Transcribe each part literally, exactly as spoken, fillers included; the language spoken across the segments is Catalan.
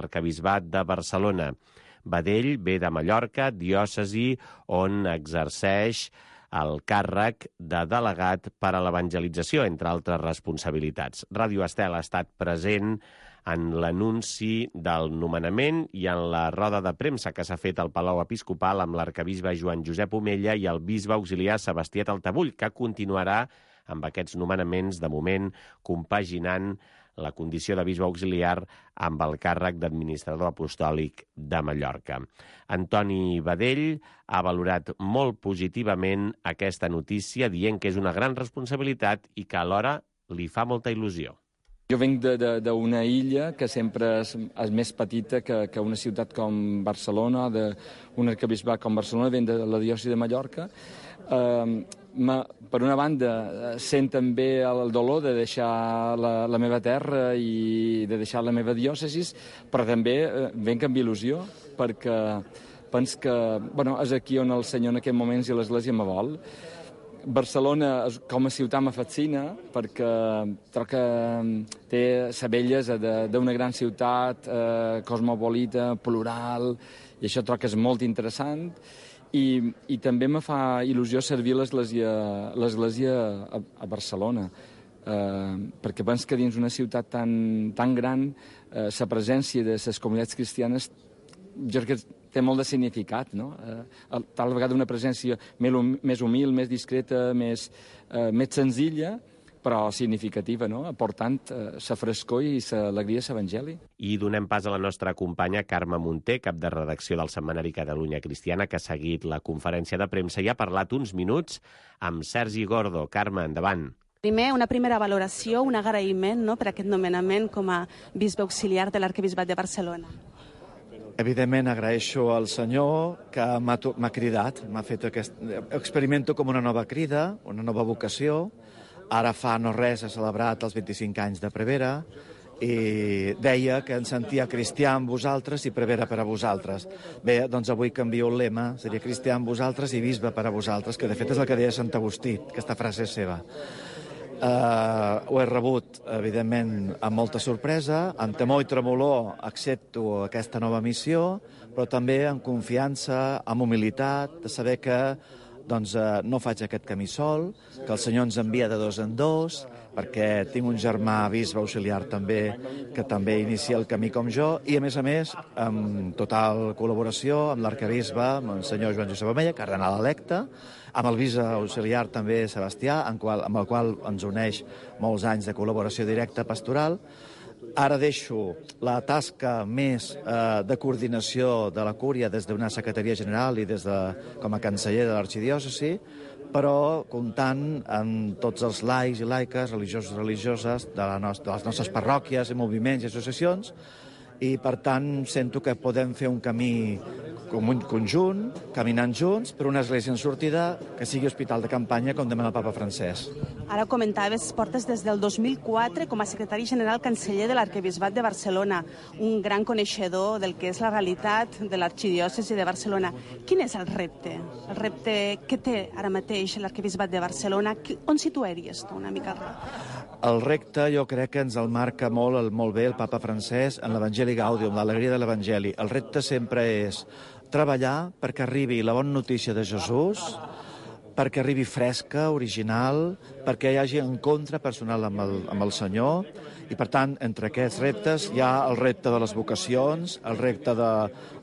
l'arquebisbat de Barcelona. Badell ve de Mallorca, diòcesi on exerceix el càrrec de delegat per a l'evangelització, entre altres responsabilitats. Ràdio Estel ha estat present en l'anunci del nomenament i en la roda de premsa que s'ha fet al Palau Episcopal amb l'arquebisbe Joan Josep Omella i el bisbe auxiliar Sebastià Taltabull, que continuarà amb aquests nomenaments, de moment, compaginant la condició de bisbe auxiliar amb el càrrec d'administrador apostòlic de Mallorca. Antoni Badell ha valorat molt positivament aquesta notícia, dient que és una gran responsabilitat i que alhora li fa molta il·lusió. Jo venc d'una illa que sempre és, és més petita que, que una ciutat com Barcelona, d'un arquebisbat com Barcelona, venc de la diòcesi de Mallorca. Eh, ma, per una banda, sent també el dolor de deixar la, la meva terra i de deixar la meva diòcesi, però també eh, venc amb il·lusió, perquè penso que bueno, és aquí on el Senyor en aquests moments i l'Església me vol. Barcelona com a ciutat me fascina perquè trobo que té la bellesa d'una gran ciutat eh, cosmopolita, plural, i això trobo que és molt interessant. I, i també me fa il·lusió servir l'Església a, a Barcelona, eh, perquè penso que dins una ciutat tan, tan gran eh, la presència de les comunitats cristianes jo crec que té molt de significat, no? Eh, tal vegada una presència més humil, més discreta, més, eh, més senzilla, però significativa, no? Aportant eh, la frescor i l'alegria de l'Evangeli. I donem pas a la nostra companya Carme Munté, cap de redacció del setmanari Catalunya Cristiana, que ha seguit la conferència de premsa i ha parlat uns minuts amb Sergi Gordo. Carme, endavant. Primer, una primera valoració, un agraïment, no?, per aquest nomenament com a bisbe auxiliar de l'Arquebisbat de Barcelona. Evidentment agraeixo al Senyor que m'ha cridat, m'ha fet aquest... Experimento com una nova crida, una nova vocació. Ara fa no res he celebrat els vint-i-cinc anys de Prevera i deia que em sentia cristià amb vosaltres i Prevera per a vosaltres. Bé, doncs avui canvio el lema, seria cristià amb vosaltres i bisbe per a vosaltres, que de fet és el que deia Sant Agustí, aquesta frase és seva. Uh, ho he rebut, evidentment, amb molta sorpresa, amb temor i tremolor accepto aquesta nova missió, però també amb confiança, amb humilitat, de saber que doncs, uh, no faig aquest camí sol, que el Senyor ens envia de dos en dos, perquè tinc un germà bisbe auxiliar també, que també inicia el camí com jo, i a més a més, amb total col·laboració amb l'arquebisbe, amb el senyor Joan Josep Omella, cardenal electe, amb el bisbe auxiliar també Sebastià, amb, qual, amb el qual ens uneix molts anys de col·laboració directa pastoral. Ara deixo la tasca més eh, de coordinació de la Cúria des d'una secretaria general i des de, com a canceller de l'arxidiòcesi, però comptant amb tots els laics i laiques, religiosos i religioses de, la nos de les nostres parròquies i moviments i associacions, i per tant sento que podem fer un camí com un conjunt, caminant junts, per una església en sortida que sigui hospital de campanya, com demana el papa Francesc. Ara comentaves, portes des del dos mil quatre com a secretari general canceller de l'Arquebisbat de Barcelona, un gran coneixedor del que és la realitat de l'arxidiòcesi de Barcelona. Quin és el repte? El repte que té ara mateix l'Arquebisbat de Barcelona? On situaries tu una mica el repte? El repte jo crec que ens el marca molt, el, molt bé el papa Francesc en l'Evangeli Gaudium, l'alegria de l'Evangeli. El repte sempre és treballar perquè arribi la bona notícia de Jesús, perquè arribi fresca, original, perquè hi hagi encontre personal amb el, amb el Senyor, i per tant, entre aquests reptes hi ha el repte de les vocacions, el repte de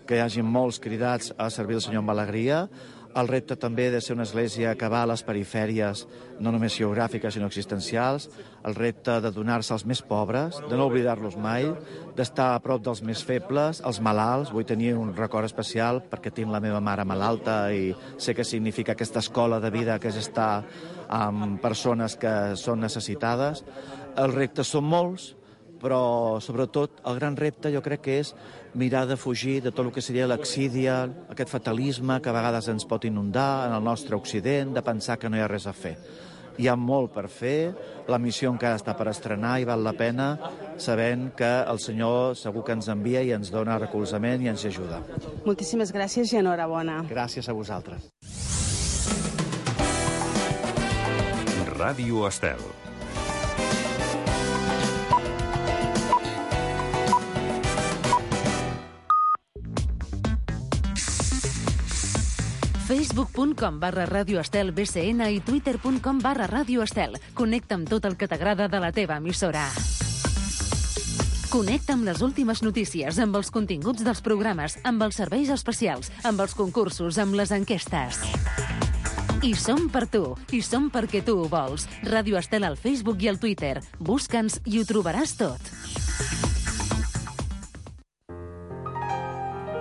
que hi hagi molts cridats a servir el Senyor amb alegria, el repte també de ser una església que va a les perifèries, no només geogràfiques, sinó existencials, el repte de donar-se als més pobres, de no oblidar-los mai, d'estar a prop dels més febles, els malalts. Vull tenir un record especial perquè tinc la meva mare malalta i sé què significa aquesta escola de vida que és estar amb persones que són necessitades. Els reptes són molts, però sobretot el gran repte jo crec que és mirar de fugir de tot el que seria l'exídia, aquest fatalisme que a vegades ens pot inundar en el nostre Occident, de pensar que no hi ha res a fer. Hi ha molt per fer, la missió encara està per estrenar i val la pena sabent que el Senyor segur que ens envia i ens dona recolzament i ens ajuda. Moltíssimes gràcies i enhorabona. Gràcies a vosaltres. Ràdio Estel. Facebook.com barra Radio Estel B C N i Twitter.com barra Radio Estel. Connecta amb tot el que t'agrada de la teva emissora. Connecta amb les últimes notícies, amb els continguts dels programes, amb els serveis especials, amb els concursos, amb les enquestes. I som per tu, i som perquè tu ho vols. Radio Estel al Facebook i al Twitter. Busca'ns i ho trobaràs tot.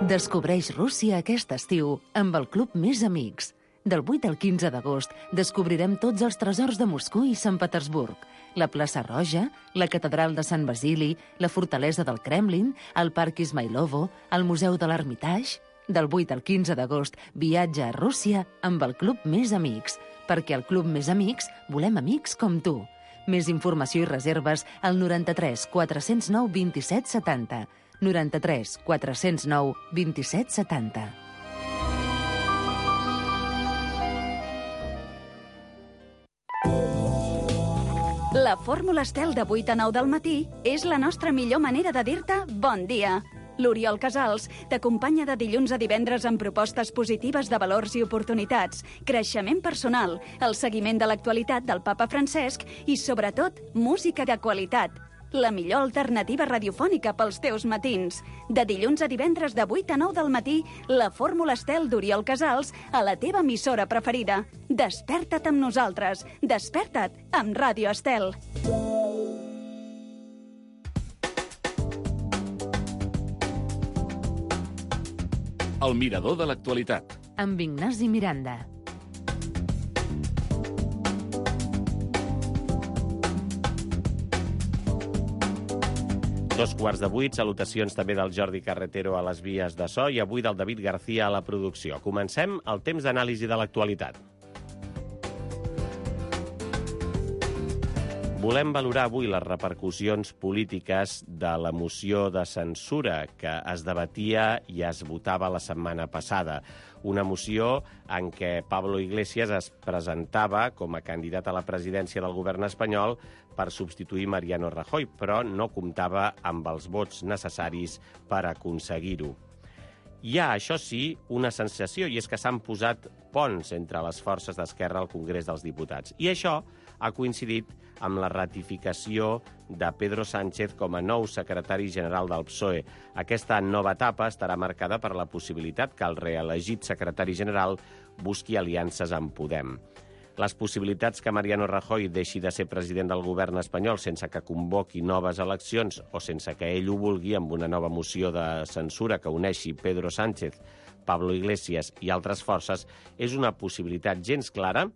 Descobreix Rússia aquest estiu amb el Club Més Amics. Del vuit al quinze d'agost descobrirem tots els tresors de Moscou i Sant Petersburg. La plaça Roja, la catedral de Sant Basili, la fortalesa del Kremlin, el Parc Ismailovo, el Museu de l'Hermitage. Del vuit al quinze d'agost, viatja a Rússia amb el Club Més Amics, perquè al Club Més Amics volem amics com tu. Més informació i reserves al noranta-tres quatre-cents nou vint-i-set setanta. noranta-tres quatre-cents nou vint-i-set setanta. La fórmula Estel de vuit a nou del matí és la nostra millor manera de dir-te bon dia. L'Oriol Casals t'acompanya de dilluns a divendres amb propostes positives de valors i oportunitats, creixement personal, el seguiment de l'actualitat del papa Francesc i, sobretot, música de qualitat. La millor alternativa radiofònica pels teus matins. De dilluns a divendres de vuit a nou del matí, la fórmula Estel d'Oriol Casals a la teva emissora preferida. Desperta't amb nosaltres. Desperta't amb Ràdio Estel. El mirador de l'actualitat. Amb Ignasi Miranda. Dos quarts de vuit, salutacions també del Jordi Carretero a les vies de so i avui del David García a la producció. Comencem el temps d'anàlisi de l'actualitat. Volem valorar avui les repercussions polítiques de la moció de censura que es debatia i es votava la setmana passada. Una moció en què Pablo Iglesias es presentava com a candidat a la presidència del govern espanyol per substituir Mariano Rajoy, però no comptava amb els vots necessaris per aconseguir-ho. Hi ha, això sí, una sensació, i és que s'han posat ponts entre les forces d'esquerra al Congrés dels Diputats. I això ha coincidit amb la ratificació de Pedro Sánchez com a nou secretari general del P S O E. Aquesta nova etapa estarà marcada per la possibilitat que el reelegit secretari general busqui aliances amb Podem. Les possibilitats que Mariano Rajoy deixi de ser president del govern espanyol sense que convoqui noves eleccions o sense que ell ho vulgui amb una nova moció de censura que uneixi Pedro Sánchez, Pablo Iglesias i altres forces és una possibilitat gens clara,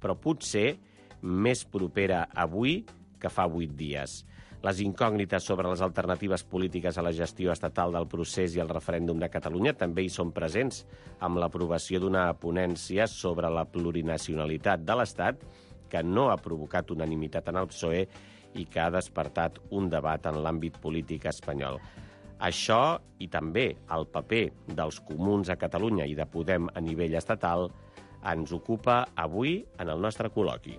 però potser més propera avui que fa vuit dies. Les incògnites sobre les alternatives polítiques a la gestió estatal del procés i el referèndum de Catalunya també hi són presents, amb l'aprovació d'una ponència sobre la plurinacionalitat de l'Estat que no ha provocat unanimitat en el P S O E i que ha despertat un debat en l'àmbit polític espanyol. Això i també el paper dels comuns a Catalunya i de Podem a nivell estatal ens ocupa avui en el nostre col·loqui.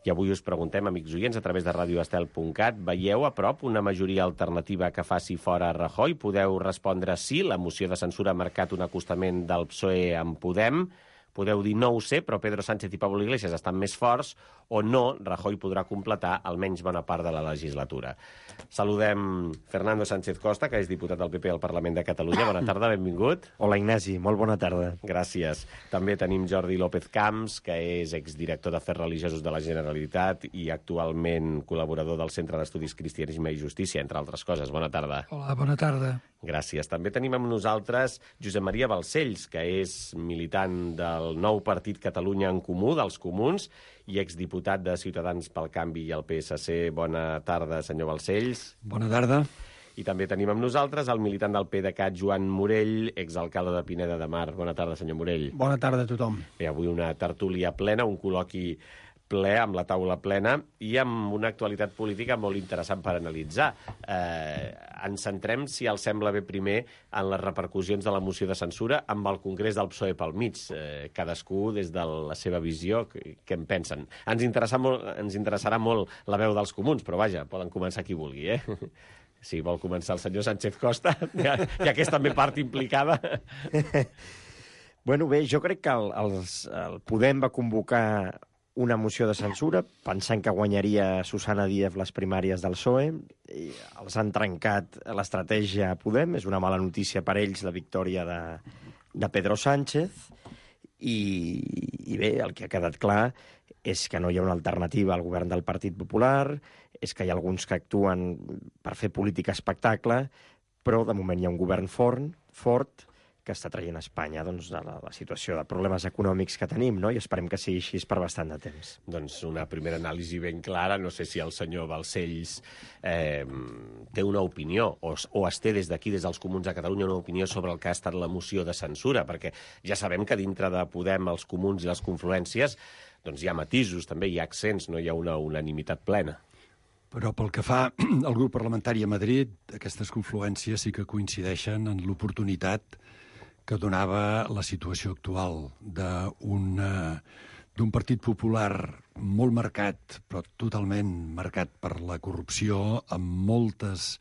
I avui us preguntem, amics oients, a través de radio estel punt cat, veieu a prop una majoria alternativa que faci fora Rajoy? Podeu respondre sí, la moció de censura ha marcat un acostament del P S O E amb Podem. Podeu dir no ho sé, però Pedro Sánchez i Pablo Iglesias estan més forts, o no, Rajoy podrà completar almenys bona part de la legislatura. Saludem Fernando Sánchez Costa, que és diputat del P P al Parlament de Catalunya. Bona tarda, benvingut. Hola, Ignasi, molt bona tarda. Gràcies. També tenim Jordi López Camps, que és exdirector d'Afers Religiosos de la Generalitat i actualment col·laborador del Centre d'Estudis Cristianisme i Justícia, entre altres coses. Bona tarda. Hola, bona tarda. Gràcies. També tenim amb nosaltres Josep Maria Balcells, que és militant del nou partit Catalunya en Comú, dels Comuns, i exdiputat de Ciutadans pel Canvi i el P S C. Bona tarda, senyor Balcells. Bona tarda. I també tenim amb nosaltres el militant del PDeCAT, Joan Morell, exalcalde de Pineda de Mar. Bona tarda, senyor Morell. Bona tarda a tothom. Bé, avui una tertúlia plena, un col·loqui ple, amb la taula plena, i amb una actualitat política molt interessant per analitzar. Eh, ens centrem, si els sembla bé primer, en les repercussions de la moció de censura amb el Congrés del P S O E pel mig. Eh, cadascú, des de la seva visió, què en pensen? Ens, interessa molt, ens interessarà molt la veu dels comuns, però vaja, poden començar qui vulgui, eh? Sí, vol començar el senyor Sánchez Costa, ja, ja que és també part implicada. Bueno, bé, jo crec que el, els, el Podem va convocar una moció de censura pensant que guanyaria Susana Díaz les primàries del P S O E. I els han trencat l'estratègia a Podem. És una mala notícia per ells la victòria de, de Pedro Sánchez. I, I bé, el que ha quedat clar és que no hi ha una alternativa al govern del Partit Popular, és que hi ha alguns que actuen per fer política espectacle, però de moment hi ha un govern fort, fort que està traient a Espanya doncs, de la, la situació de problemes econòmics que tenim, no? I esperem que sigui així per bastant de temps. Doncs una primera anàlisi ben clara. No sé si el senyor Balcells eh, té una opinió, o, o es té des d'aquí, des dels Comuns de Catalunya, una opinió sobre el que ha estat la moció de censura, perquè ja sabem que dintre de Podem, els Comuns i les confluències, doncs hi ha matisos, també hi ha accents, no hi ha una unanimitat plena. Però pel que fa al grup parlamentari a Madrid, aquestes confluències sí que coincideixen en l'oportunitat que donava la situació actual d'un d'un Partit Popular molt marcat, però totalment marcat per la corrupció, amb moltes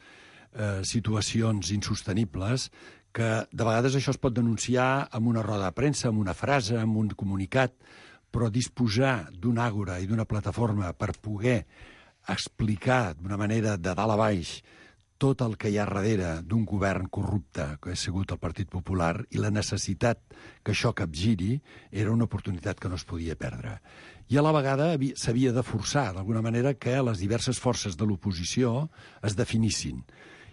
eh, situacions insostenibles, que de vegades això es pot denunciar amb una roda de premsa, amb una frase, amb un comunicat, però disposar d'un àgora i d'una plataforma per poder explicar d'una manera de dalt a baix tot el que hi ha darrere d'un govern corrupte que ha sigut el Partit Popular i la necessitat que això capgiri era una oportunitat que no es podia perdre. I a la vegada s'havia de forçar, d'alguna manera, que les diverses forces de l'oposició es definissin.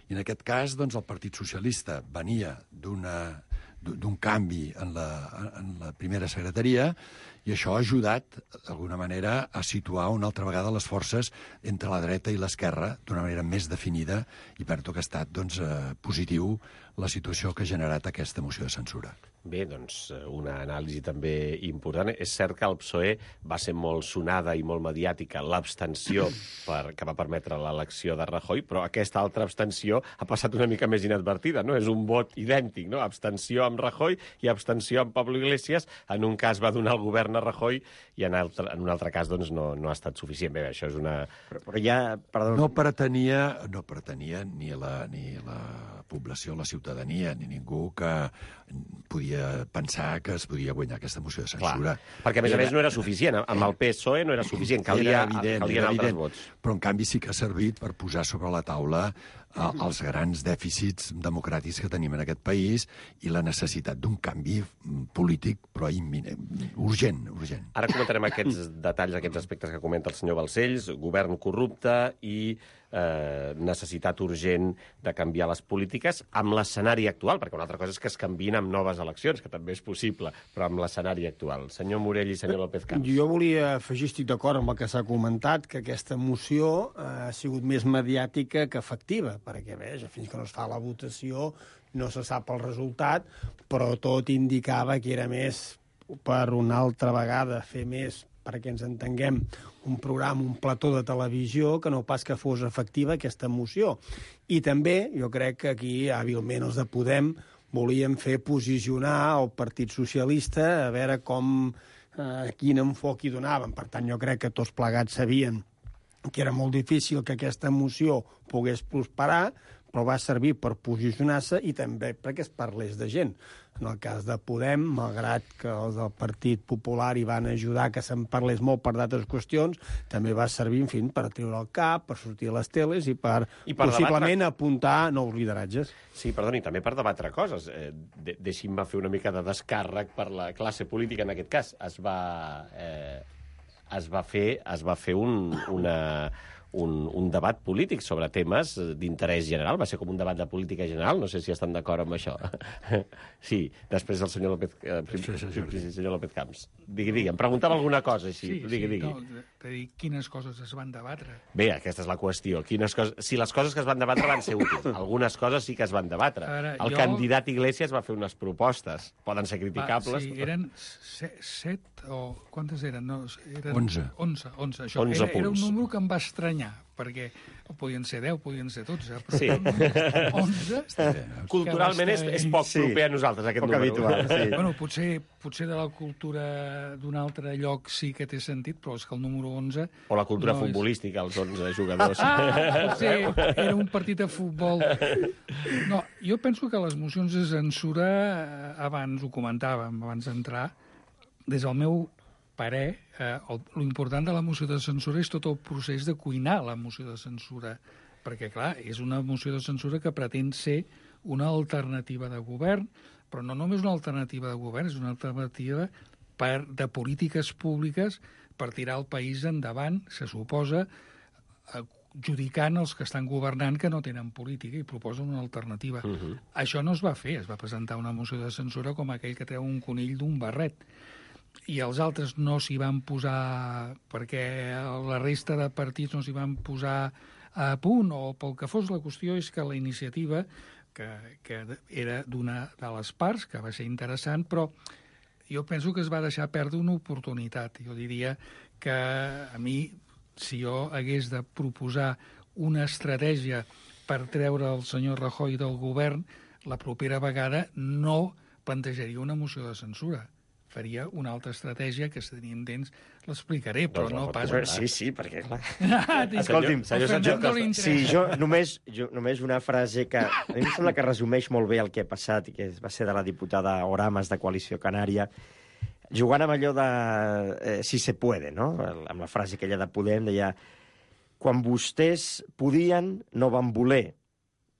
I en aquest cas, doncs, el Partit Socialista venia d'una d'un canvi en la, en la primera secretaria i això ha ajudat, d'alguna manera, a situar una altra vegada les forces entre la dreta i l'esquerra d'una manera més definida i per tot que ha estat doncs, eh, positiu la situació que ha generat aquesta moció de censura. Bé, doncs, una anàlisi també important. És cert que el P S O E va ser molt sonada i molt mediàtica l'abstenció per, que va permetre l'elecció de Rajoy, però aquesta altra abstenció ha passat una mica més inadvertida, no? És un vot idèntic, no? Abstenció amb Rajoy i abstenció amb Pablo Iglesias. En un cas va donar el govern a Rajoy i en, altre, en un altre cas doncs, no, no ha estat suficient. Bé, això és una... Però, però ja, perdó... No pretenia, no pretenia ni la, ni la població, la ciutadania, ni ningú que podia pensar que es podia guanyar aquesta moció de censura. Clar, perquè, a més a més, no era suficient. Amb el P S O E no era suficient. Calia, era evident, calien era altres evident, vots. Però, en canvi, sí que ha servit per posar sobre la taula eh, els grans dèficits democràtics que tenim en aquest país i la necessitat d'un canvi polític, però imminent, urgent, urgent. Ara comentarem aquests detalls, aquests aspectes que comenta el senyor Balcells, govern corrupte i eh, necessitat urgent de canviar les polítiques amb l'escenari actual, perquè una altra cosa és que es canviïn amb noves eleccions, que també és possible, però amb l'escenari actual. Senyor Morell i senyor López Camps. Jo volia afegir, estic d'acord amb el que s'ha comentat, que aquesta moció eh, ha sigut més mediàtica que efectiva, perquè, bé, fins que no es fa la votació no se sap el resultat, però tot indicava que era més per una altra vegada fer més, perquè ens entenguem, un programa, un plató de televisió, que no pas que fos efectiva aquesta moció. I també, jo crec que aquí, hàbilment, els de Podem volien fer posicionar el Partit Socialista a veure com, eh, quin enfoc hi donaven. Per tant, jo crec que tots plegats sabien que era molt difícil que aquesta moció pogués prosperar, però va servir per posicionar-se i també perquè es parlés de gent. En el cas de Podem, malgrat que els del Partit Popular hi van ajudar que se'n parlés molt per d'altres qüestions, també va servir, en fi, per treure el cap, per sortir a les teles i per, I per possiblement debatre... apuntar nous lideratges. Sí, perdoni, també per debatre coses. Eh, de Deixi'm fer una mica de descàrrec per la classe política, en aquest cas. Es va, eh, es va fer, es va fer un, una... Un, un debat polític sobre temes d'interès general. Va ser com un debat de política general. No sé si estan d'acord amb això. Sí, després el senyor López, eh, sí, sí, sí, sí, senyor López Camps. Digui, digui, em preguntava alguna cosa així. Sí, digui, sí, digui. no, de dir quines coses es van debatre. Bé, aquesta és la qüestió. Quines coses... Si les coses que es van debatre van ser útils, algunes coses sí que es van debatre. Ara, el jo... candidat Iglesias va fer unes propostes. Poden ser criticables. Va, sí, però... eren set, set o... Quantes eren? No, eren onze. Onze, onze. Això onze era, era un número que em va estranyar, perquè podien ser deu, podien ser dotze, però Sí. onze... Culturalment és, és poc Sí. proper a nosaltres, aquest Poc número. habitual, sí. Bueno, potser, potser de la cultura d'un altre lloc sí que té sentit, però és que el número onze... O la cultura no és- futbolística, els onze jugadors. Ah, potser era un partit de futbol. No, jo penso que les mocions de censura, eh, abans ho comentàvem, abans d'entrar, des del meu parer, eh, l'important de la moció de censura és tot el procés de cuinar la moció de censura, perquè, clar, és una moció de censura que pretén ser una alternativa de govern, però no només una alternativa de govern, és una alternativa per, de polítiques públiques per tirar el país endavant, se suposa, eh, judicant els que estan governant que no tenen política i proposen una alternativa. Mhm. Això no es va fer, es va presentar una moció de censura com aquell que treu un conill d'un barret. I els altres no s'hi van posar perquè la resta de partits no s'hi van posar a punt o pel que fos. La qüestió és que la iniciativa, que, que era d'una de les parts, que va ser interessant, però jo penso que es va deixar perdre una oportunitat. Jo diria que a mi, si jo hagués de proposar una estratègia per treure el senyor Rajoy del govern, la propera vegada no plantejaria una moció de censura. Faria una altra estratègia que, si tenim temps, l'explicaré, però Doncs, no no, pas... Sí, sí, perquè, clar... Ah, dic, Escolti'm, al Fernando li interessa. sí, jo només, jo només una frase que a mi em sembla que resumeix molt bé el que ha passat, i que va ser de la diputada Oramas de Coalició Canària, jugant amb allò de eh, si se puede, no? Amb la frase aquella de Podem, deia quan vostès podien, no van voler,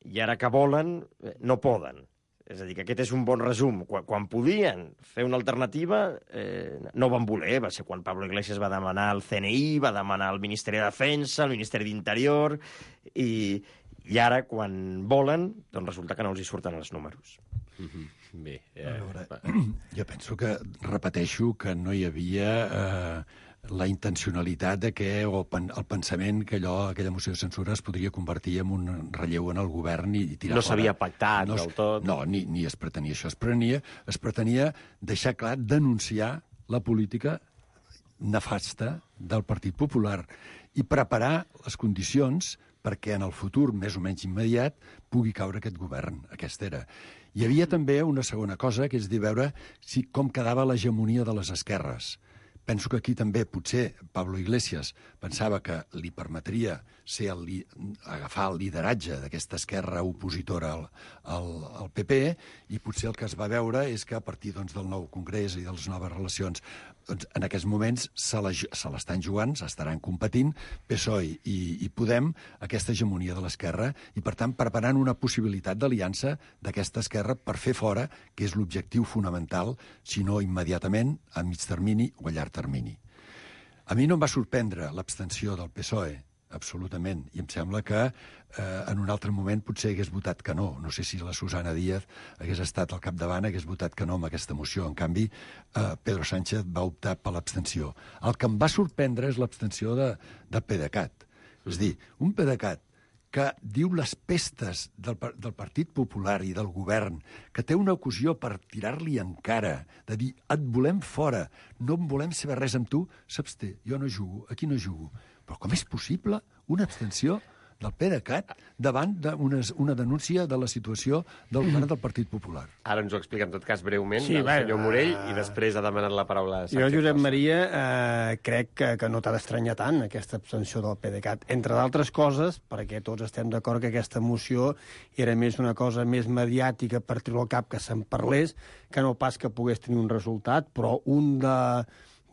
i ara que volen, eh, no poden. És a dir, que aquest és un bon resum. Quan, quan podien fer una alternativa, eh, no van voler. Va ser quan Pablo Iglesias va demanar el C N I, va demanar el Ministeri de Defensa, el Ministeri d'Interior, i, i ara, quan volen, doncs resulta que no els hi surten els números. Mhm. Bé, eh, A veure, jo penso que, repeteixo, que no hi havia eh, la intencionalitat de que, o pen, el pensament que allò, aquella moció de censura es podria convertir en un relleu en el govern i, i tirar No fora. s'havia pactat no, es- del tot. No, ni, ni es pretenia això. Es pretenia, es pretenia deixar clar, denunciar la política nefasta del Partit Popular i preparar les condicions perquè en el futur, més o menys immediat, pugui caure aquest govern. Aquesta era. Hi havia també una segona cosa, que és de veure si, com quedava l'hegemonia de les esquerres. Penso que aquí també, potser, Pablo Iglesias pensava que li permetria ser el, li- agafar el lideratge d'aquesta esquerra opositora al, al, al P P, i potser el que es va veure és que a partir doncs, del nou congrés i de les noves relacions, doncs, en aquests moments se la- se l'estan jugant, s'estaran competint P S O E i, i Podem, aquesta hegemonia de l'esquerra, i per tant preparant una possibilitat d'aliança d'aquesta esquerra per fer fora, que és l'objectiu fonamental, si no immediatament, a mig termini o a llarg termini. A mi no em va sorprendre l'abstenció del P S O E, absolutament, i em sembla que eh, en un altre moment potser hagués votat que no. No sé si la Susana Díaz hagués estat al capdavant, hagués votat que no amb aquesta moció. En canvi, eh, Pedro Sánchez va optar per l'abstenció. El que em va sorprendre és l'abstenció de, de PDeCAT. És a dir, un PDeCAT que diu les pestes del, par- del Partit Popular i del govern, que té una ocasió per tirar-li en cara, de dir, et volem fora, no en volem saber res amb tu, s'absté, jo no jugo, aquí no jugo. Però com és possible una abstenció del PDeCAT davant d'una una denúncia de la situació del govern del Partit Popular? Ara ens ho explica en tot cas breument Sí, el bé, senyor Morell, uh, i després ha demanat la paraula Jo, Sánchez Josep Costa. Maria, eh, crec que, que no t'ha d'estranyar tant aquesta abstenció del PDeCAT, entre d'altres coses, perquè tots estem d'acord que aquesta moció era més una cosa més mediàtica per treure al cap que se'n parlés, que no pas que pogués tenir un resultat, però un de,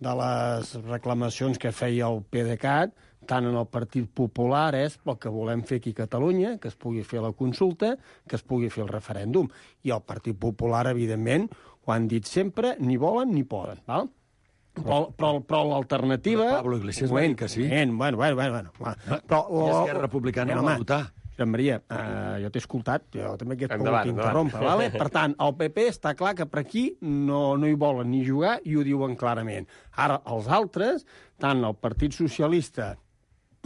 de les reclamacions que feia el PDeCAT, tant en el Partit Popular, és el que volem fer aquí a Catalunya, que es pugui fer la consulta, que es pugui fer el referèndum. I el Partit Popular, evidentment, ho han dit sempre, ni volen ni poden, val? Però, però, però l'alternativa... Però Pablo Iglesias va dir que sí. Moment, bueno, bueno, bueno, bueno. Ah, Però, i Esquerra Republicana Bueno, va home, votar. Josep Maria, uh, jo t'he escoltat, jo també aquest Endavant, pogut interrompre, vale? Per tant, el P P està clar que per aquí no, no hi volen ni jugar i ho diuen clarament. Ara, els altres, tant el Partit Socialista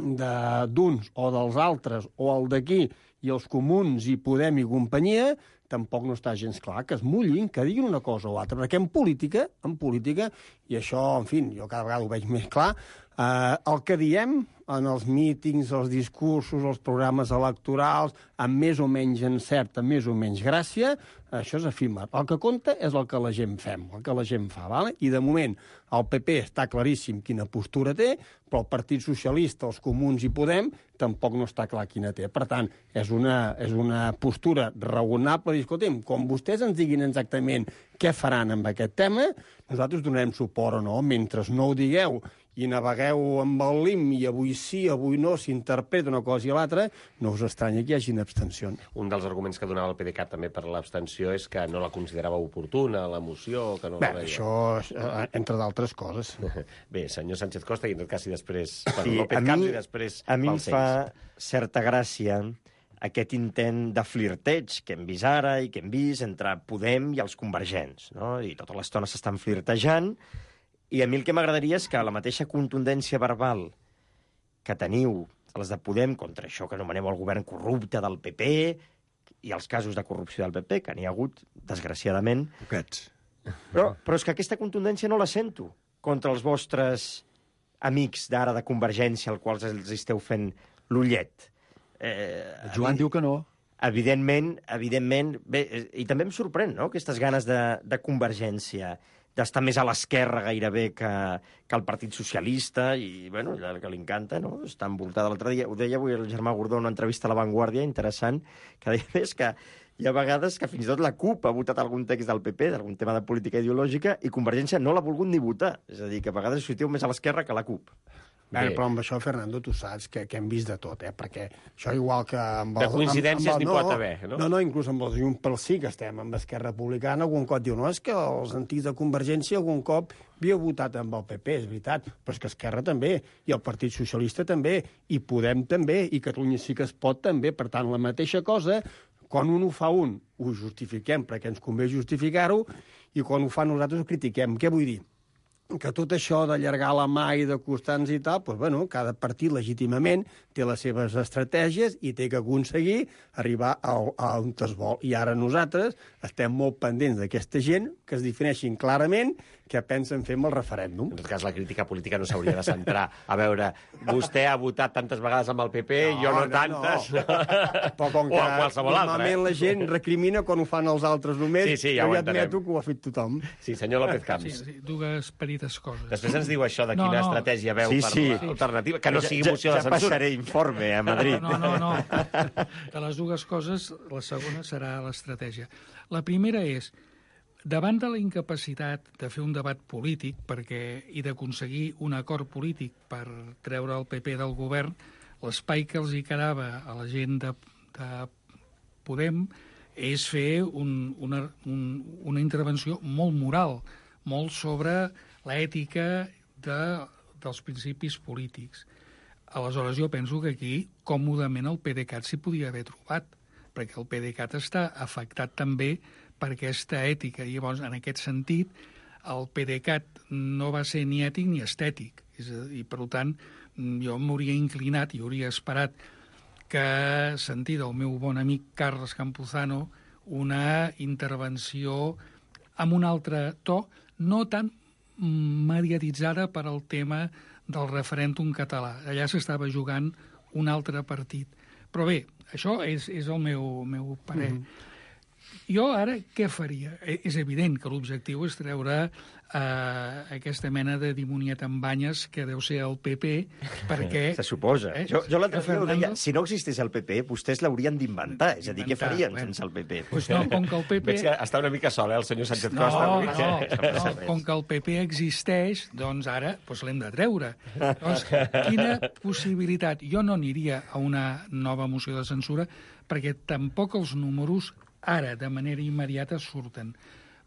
d'uns o dels altres, o el d'aquí, i els comuns i Podem i companyia, tampoc no està gens clar que es mullin, que diguin una cosa o altra, perquè en política, en política, i això, en fi, jo cada vegada ho veig més clar, eh, el que diem, en els mítings, els discursos, els programes electorals, amb més o menys encert, amb més o menys gràcia, això és efímer. El que compta és el que la gent fem, el que la gent fa, vale? I de moment el P P està claríssim quina postura té, però el Partit Socialista, els Comuns i Podem tampoc no està clar quina té. Per tant, és una, és una postura raonable. I, escolta'm, com vostès ens diguin exactament què faran amb aquest tema, nosaltres donarem suport o no. Mentre no ho digueu i navegueu amb el lim i avui sí, avui no, s'interpreta una cosa i l'altra, no us estranya que hi hagin abstencions. Un dels arguments que donava el PDeCAT també per l'abstenció és que no la considerava oportuna, la moció, que no Bé, la veia. això, entre d'altres coses. Bé, senyor Sánchez Costa, i en tot cas, i després per Sí, López a mi- Camps i després A mi em pels fa ells. certa gràcia aquest intent de flirteig que hem vist ara i que hem vist entre Podem i els convergents, no? I tota l'estona s'estan flirtejant. I a mi el que m'agradaria és que la mateixa contundència verbal que teniu els de Podem contra això que anomeneu el govern corrupte del P P i els casos de corrupció del P P, que n'hi ha hagut, desgraciadament. Poquets. Però, però és que aquesta contundència no la sento contra els vostres amics d'ara de Convergència, als quals els esteu fent l'ullet. Eh, Joan diu que no. Evidentment, evidentment... Bé, i també em sorprèn, no?, aquestes ganes de, de Convergència, d'estar més a l'esquerra gairebé que, que el Partit Socialista, i, bueno, el que li encanta, no?, està envoltada. L'altre dia, ho deia avui el Germà Gordó en una entrevista a La Vanguardia, interessant, que deia més que hi ha vegades que fins i tot la CUP ha votat algun text del P P, d'algun tema de política ideològica, i Convergència no l'ha volgut ni votar. És a dir, que a vegades us situeu més a l'esquerra que a la CUP. Bé, però amb això, Fernando, tu saps que, que hem vist de tot, eh? Perquè això igual que... Amb De coincidències n'hi no, pot haver, no? No, no, inclús amb els Junts pel Sí, que estem amb Esquerra Republicana, algun cop diu, no, és que els antics de Convergència algun cop havia votat amb el P P, és veritat, però és que Esquerra també, i el Partit Socialista també, i Podem també, i Catalunya Sí que es pot també. Per tant, la mateixa cosa, quan un ho fa un, ho justifiquem perquè ens convé justificar-ho, i quan ho fa nosaltres ho critiquem. Què vull dir? Que tot això d'allargar la mà i de costar-nos i tal, doncs, bueno, cada partit legítimament té les seves estratègies i té que aconseguir arribar a, a on es vol. I ara nosaltres estem molt pendents d'aquesta gent que es defineixin clarament què pensen fer amb el referèndum. En tot cas, la crítica política no s'hauria de centrar. A veure, vostè ha votat tantes vegades amb el P P, no, jo no, no tantes. No. Però com que o a qualsevol altre. Normalment eh? la gent recrimina quan ho fan els altres només, sí, sí, ja jo ho ja admeto entenem. que ho ha fet tothom. Sí, senyor López Camps. Sí, sí, dues petites coses. Després ens diu això de No, quina no. estratègia veu Sí, per sí. l'alternativa, que no sigui Ja- moció ja de censura. passaré informe a Madrid. No, no, no. De les dues coses, la segona serà l'estratègia. La primera és, davant de la incapacitat de fer un debat polític perquè i d'aconseguir un acord polític per treure el P P del govern, l'espai que els hi quedava a la gent de, de Podem és fer un, una, un, una intervenció molt moral, molt sobre l'ètica de, dels principis polítics. Aleshores, jo penso que aquí, còmodament, el PDeCAT s'hi podia haver trobat, perquè el PDeCAT està afectat també per aquesta ètica. I llavors, en aquest sentit, el PDeCAT no va ser ni ètic ni estètic. És a dir, per tant, jo m'hauria inclinat i hauria esperat que sentir del meu bon amic Carles Campuzano una intervenció amb un altre to, no tan mediatitzada per al tema del referèndum català. Allà s'estava jugant un altre partit. Però bé, això és, és el meu, meu parer. Mm-hmm. Jo ara què faria? És evident que l'objectiu és treure eh, aquesta mena de dimoniet amb banyes que deu ser el P P, perquè... Se suposa. Eh? Jo, jo l'altre dia ho deia, si no existís el P P, vostès l'haurien d'inventar. És a dir, què farien bueno. sense el P P? Pues no, com que el P P... Veig que està una mica sol, eh, el senyor Sánchez No, Costa. no, no, com que el P P existeix, doncs ara doncs l'hem de treure. Llavors, quina possibilitat? Jo no aniria a una nova moció de censura perquè tampoc els números ara, de manera immediata, surten.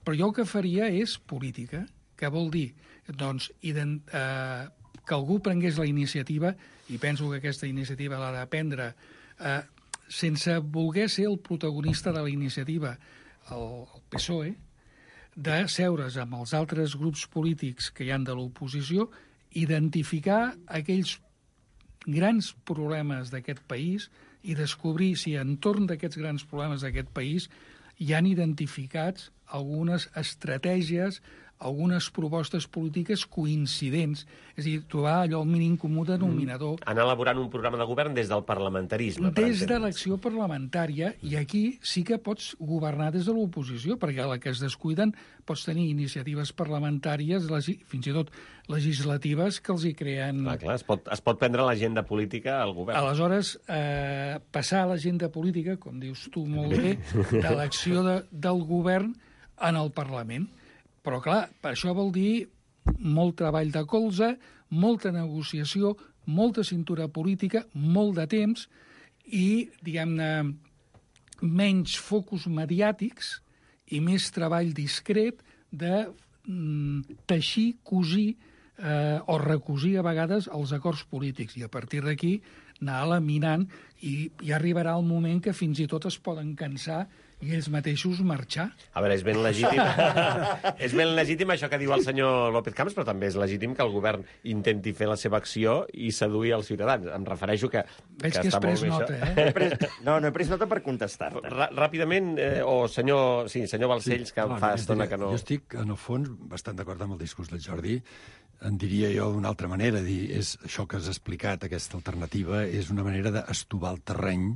Però jo el que faria és política. Què vol dir? Doncs ident, eh, que algú prengués la iniciativa, i penso que aquesta iniciativa l'ha de prendre, eh, sense voler ser el protagonista de la iniciativa, el, el P S O E, de seure's amb els altres grups polítics que hi han de l'oposició, identificar aquells grans problemes d'aquest país i descobrir si entorn d'aquests grans problemes d'aquest país hi han identificats algunes estratègies, algunes propostes polítiques coincidents, és a dir, trobar allò el mínim comú denominador. Mm. Anar elaborant un programa de govern des del parlamentarisme. Des de l'acció parlamentària, i aquí sí que pots governar des de l'oposició, perquè a la que es descuiden pots tenir iniciatives parlamentàries, fins i tot legislatives, que els hi creen... Clar, clar, es pot, es pot prendre l'agenda política al govern. Aleshores, eh, passar a l'agenda política, com dius tu molt bé, de l'acció de, del govern en el Parlament. Però, clar, per això vol dir molt treball de colze, molta negociació, molta cintura política, molt de temps i, diguem-ne, menys focus mediàtics i més treball discret de mm, teixir, cosir eh, o recosir a vegades els acords polítics. I a partir d'aquí anar laminant i ja arribarà el moment que fins i tot es poden cansar i ells mateixos marxar. A veure, és ben legítim. És ben legítim això que diu el senyor López Camps, però també és legítim que el govern intenti fer la seva acció i seduir els ciutadans. Em refereixo que... Veig que, que has pres nota, eh? Pres... No, no he pres nota per contestar-te. Ràpidament, eh, o senyor, sí, senyor Balcells, que sí, fa no, estona que no... Jo estic, en el fons, bastant d'acord amb el discurs del Jordi. En diria jo d'una altra manera, dir, és això que has explicat, aquesta alternativa, és una manera d'estovar el terreny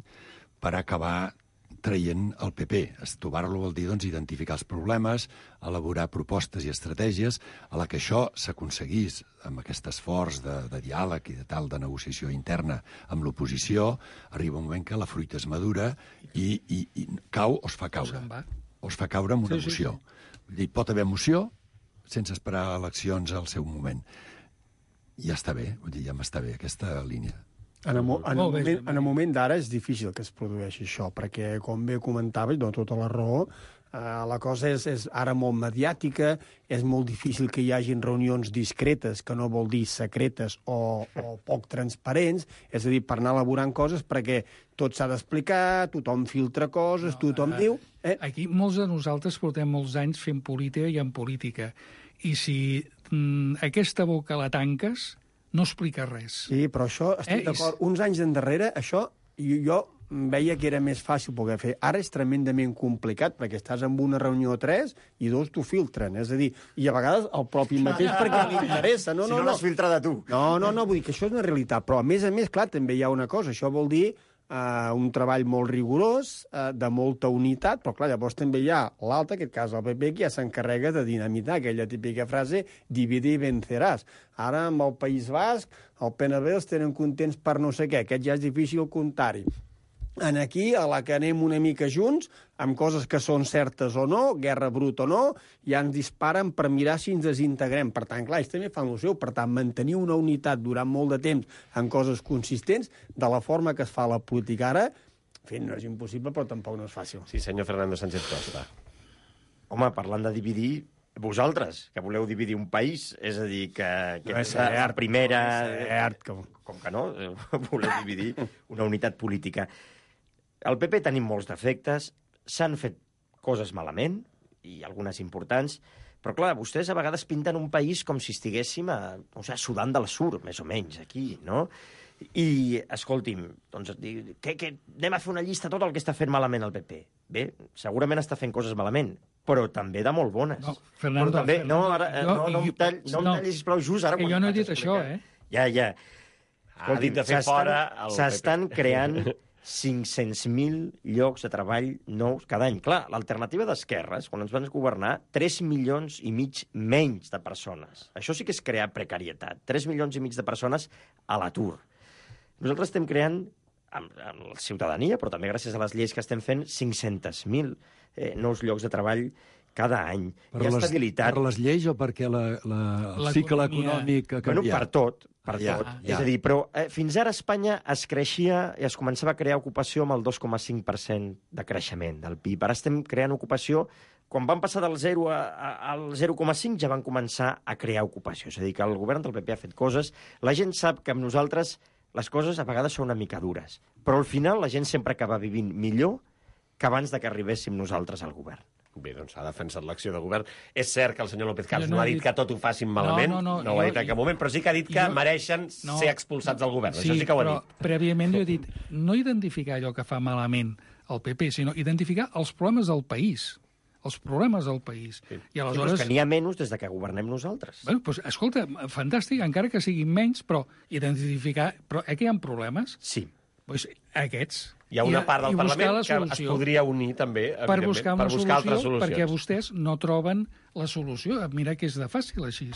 per acabar traient el P P. Estovar-lo vol dir doncs, identificar els problemes, elaborar propostes i estratègies, a la que això s'aconseguís amb aquest esforç de, de diàleg i de tal de negociació interna amb l'oposició, arriba un moment que la fruita és madura i, i, i cau o es fa caure. O es fa caure amb una sí, moció. Sí, sí. Hi pot haver moció sense esperar eleccions al seu moment. Ja està bé, vull dir, ja m'està bé aquesta línia. En el, en, el moment, en el moment d'ara és difícil que es produeixi això, perquè, com bé comentava, i dona tota la raó, eh, la cosa és, és ara molt mediàtica, és molt difícil que hi hagin reunions discretes, que no vol dir secretes o, o poc transparents, és a dir, per anar elaborant coses, perquè tot s'ha d'explicar, tothom filtra coses, no, tothom eh, diu... Eh? Aquí molts de nosaltres portem molts anys fent política i en política, i si mm, aquesta boca la tanques, no explica res. Sí, però això, estic eh? d'acord, uns anys endarrere, això jo, jo veia que era més fàcil poder fer. Ara és tremendament complicat, perquè estàs en una reunió o tres i dos t'ho filtren, és a dir, i a vegades el propi mateix perquè li interessa. No, si no, no, no l'has filtrat a tu. No, no, no, vull dir que això és una realitat, però a més a més, clar, també hi ha una cosa, això vol dir Uh, un treball molt rigorós, uh, de molta unitat, però clar, llavors també hi ha l'altre, en aquest cas el P P, que ja s'encarrega de dinamitar aquella típica frase dividir i venceràs. Ara, amb el País Basc, el P N B els tenen contents per no sé què, aquest ja és difícil comptar-hi. En aquí, a la que anem una mica junts, amb coses que són certes o no, guerra bruta o no, ja ens disparen per mirar si ens desintegrem. Per tant, clar, ells també fan el seu. Per tant, mantenir una unitat durant molt de temps en coses consistents, de la forma que es fa la política ara, fet, no és impossible, però tampoc no és fàcil. Sí, senyor Fernando Sánchez Costa. Home, parlant de dividir, vosaltres, que voleu dividir un país, és a dir, que, que no és la primera... No és cert, com... com que no, voleu dividir una unitat política. Al P P tenim molts defectes, s'han fet coses malament, i algunes importants, però clar, vostès a vegades pinten un país com si estiguéssim a, o sigui, a Sudan del Sur, més o menys, aquí, no? I, escolti'm, doncs, que, que anem a fer una llista de tot el que està fent malament el P P. Bé, segurament està fent coses malament, però també de molt bones. No, Fernando, però també, Fernando, no, ara, no, no, no, em tall, no em tallis, sisplau, just ara... Que jo no he dit això, eh? Ja, ja. Ha dit de fer fora el P P. S'estan creant cinc-cents mil llocs de treball nous cada any. Clar, l'alternativa d'esquerres, quan ens van governar, tres milions i mig menys de persones. Això sí que és crear precarietat. tres milions i mig de persones a l'atur. Nosaltres estem creant, amb, amb la ciutadania, però també gràcies a les lleis que estem fent, cinc-cents mil eh, nous llocs de treball cada any. Per Hi ha les, estabilitat. Per les lleis o perquè la, la, el cicle econòmic ha canviat? Bueno, per tot. Per ja, tot. Ja. És a dir, però eh, fins ara a Espanya es creixia i es començava a crear ocupació amb el dos coma cinc per cent de creixement del P I B. Ara estem creant ocupació. Quan van passar del zero a, a, al zero coma cinc ja van començar a crear ocupació. És a dir, que el govern del P P ha fet coses. La gent sap que amb nosaltres les coses a vegades són una mica dures, però al final la gent sempre acaba vivint millor que abans de que arribéssim nosaltres al govern. Bé, doncs ha defensat l'acció de govern. És cert que el senyor López Camps no, no ha dit, dit que tot ho facin malament, no, no, no, no ho ha dit en cap moment, però sí que ha dit que jo, mereixen no, ser expulsats del govern. Sí, això sí que ho ha però dit. Prèviament jo he dit, no identificar allò que fa malament el P P, sinó identificar els problemes del país. els problemes del país. Sí. I aleshores... Sí, que n'hi ha menys des de que governem nosaltres. Bueno, doncs, escolta, fantàstic, encara que siguin menys, però identificar... Però aquí hi ha problemes? Sí. Doncs aquests. Hi ha una part del Parlament que es podria unir també, per buscar, per buscar altres solucions. Perquè vostès no troben la solució. Mira que és de fàcil així.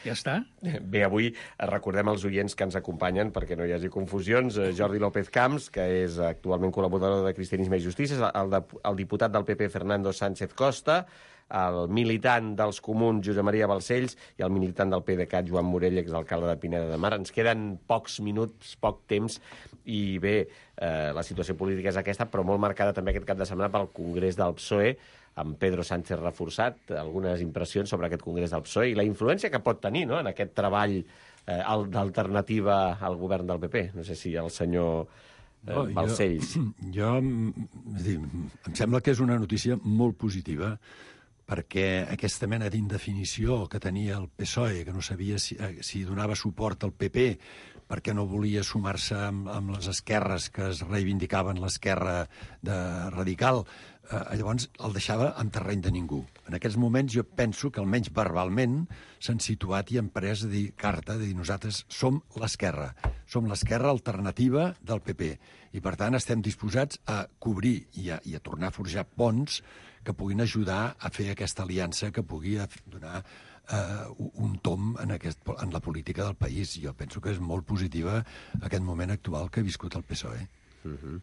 Ja està. Bé, avui recordem als oients que ens acompanyen, perquè no hi hagi confusions, Jordi López Camps, que és actualment col·laborador de Cristianisme i Justícia, el, de, el diputat del P P Fernando Sánchez Costa, el militant dels Comuns Josep Maria Balcells i el militant del PDeCAT Joan Morell, exalcalde de Pineda de Mar. Ens queden pocs minuts, poc temps, i bé, eh, la situació política és aquesta, però molt marcada també aquest cap de setmana pel Congrés del P S O E, amb Pedro Sánchez reforçat, algunes impressions sobre aquest Congrés del P S O E i la influència que pot tenir, no?, en aquest treball eh, d'alternativa al govern del P P. No sé si el senyor eh, no, Balcells... Jo, jo és dir, em sembla que és una notícia molt positiva, perquè aquesta mena d'indefinició que tenia el P S O E, que no sabia si, si donava suport al P P, perquè no volia sumar-se amb, amb les esquerres que es reivindicaven l'esquerra radical, eh, llavors el deixava en terreny de ningú. En aquests moments jo penso que almenys verbalment s'han situat i han pres de dir, carta de dir nosaltres som l'esquerra, som l'esquerra alternativa del P P, i per tant estem disposats a cobrir i a, i a tornar a forjar ponts que puguin ajudar a fer aquesta aliança que pugui donar Uh, un tom en, aquest, en la política del país. Jo penso que és molt positiva aquest moment actual que ha viscut el P S O E. Uh-huh.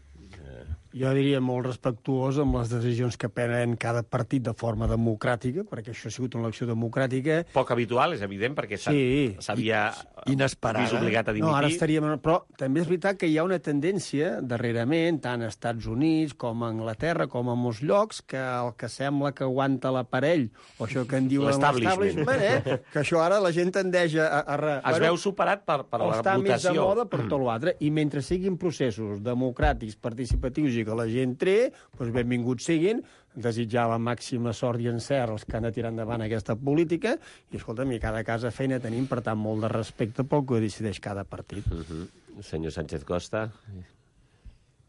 Jo diria molt respectuós amb les decisions que prenen cada partit de forma democràtica, perquè això ha sigut una elecció democràtica. Poc habitual, és evident, perquè s'havia sí. vist obligat a dimitir. No, ara estaríem... Però també és veritat que hi ha una tendència, darrerament, tant a Estats Units com a Anglaterra, com a molts llocs, que el que sembla que aguanta l'aparell, o això que en diuen l'establishment, eh? Que això ara la gent tendeix a... a, a es bueno, veu superat per, per la està votació. Està més de moda per tot l'altre, i mentre siguin processos democràtics, participatius i que la gent tre, doncs benvinguts siguin, desitjar la màxima sort i encert als que han de tirar endavant aquesta política, i escolta'm, i cada casa feina tenim, per tant, molt de respecte pel que decideix cada partit. Uh-huh. Senyor Sánchez Costa...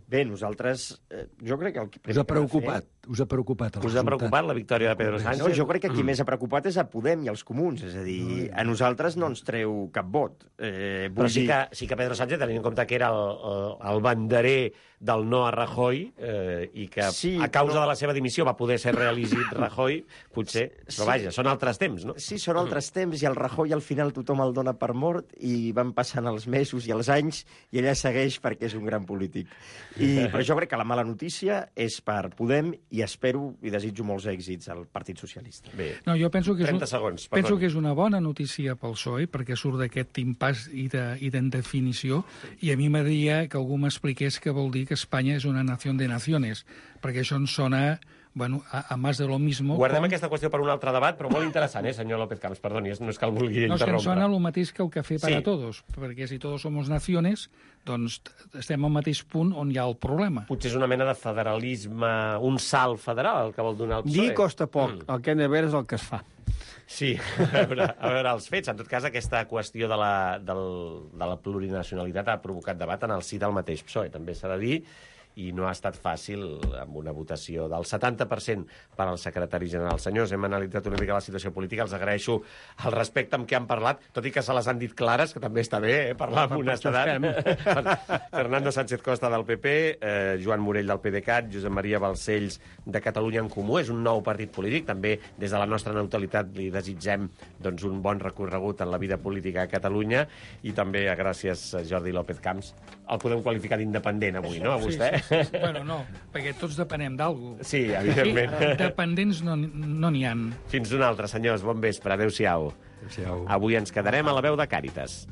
Bé, nosaltres, eh, jo crec que... El que us ha preocupat, fer... us ha preocupat el us ha preocupat la victòria de Pedro Sánchez? No, jo crec que qui més ha preocupat és a Podem i als Comuns, és a dir, a nosaltres no ens treu cap vot. Eh, Però sí que, sí que Pedro Sánchez, tenint en compte que era el, el, el banderer del no a Rajoy, eh, i que sí, a causa però... de la seva dimissió va poder ser reelegit Rajoy, potser... Sí. Però vaja, són altres temps, no? Sí, són altres temps, i el Rajoy al final tothom el dona per mort, i van passant els mesos i els anys, i ella segueix perquè és un gran polític. I, però jo crec que la mala notícia és per Podem, i espero i desitjo molts èxits al Partit Socialista. Bé, no, jo penso que és, trenta segons, penso que és una bona notícia pel P S O E, perquè surt d'aquest impàs i d'indefinició, i a mi m'agradaria que algú m'expliqués què vol dir que Espanya és una nació de naciones, perquè això ens sona... Bueno, a, a más de lo mismo... Guardem com... aquesta qüestió per un altre debat, però molt interessant, eh, senyor López Camps? Perdoni, no és que el vulgui no, interrompre. No, és que em sona el mateix que el cafè per sí. a todos, perquè si todos somos naciones, doncs estem al mateix punt on hi ha el problema. Potser és una mena de federalisme, un salt federal, el que vol donar el P S O E. Dir costa poc, mm. el que hem de veure és el que es fa. Sí, a veure, a veure els fets. En tot cas, aquesta qüestió de la, del, de la plurinacionalitat ha provocat debat en el si del mateix P S O E, també s'ha de dir, i no ha estat fàcil amb una votació del setanta per cent per al secretari general. Senyors, hem analitzat una mica la situació política, els agraeixo el respecte amb què han parlat, tot i que se les han dit clares, que també està bé, eh, parlar amb honestedat. Fernando Sánchez Costa del P P, eh, Joan Morell del PDeCAT, Josep Maria Balcells de Catalunya en Comú, és un nou partit polític, també des de la nostra neutralitat li desitgem doncs, un bon recorregut en la vida política a Catalunya, i també gràcies a Jordi López Camps. El podem qualificar d'independent avui, no, a vostè? Sí, sí, sí. Bueno, no, perquè tots depenem d'algú. Sí, evidentment. Sí, dependents no n'hi ha. Fins una altra, senyors. Bon vespre. Adéu-siau. Adéu-siau. Avui ens quedarem a la veu de Càritas.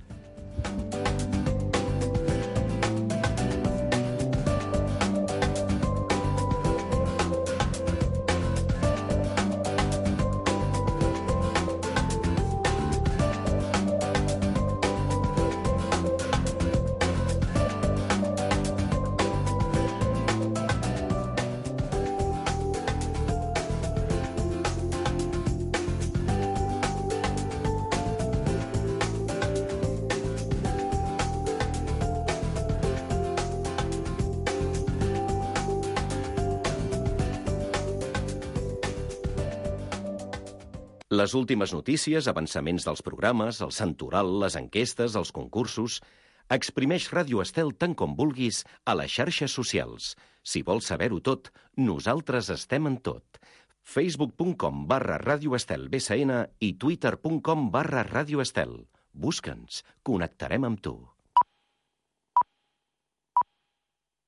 Les últimes notícies, avançaments dels programes, el santoral, les enquestes, els concursos... Exprimeix Ràdio Estel tant com vulguis a les xarxes socials. Si vols saber-ho tot, nosaltres estem en tot. facebook punt com barra Ràdio Estel B S N i twitter punt com barra Ràdio Estel. Busca'ns, connectarem amb tu.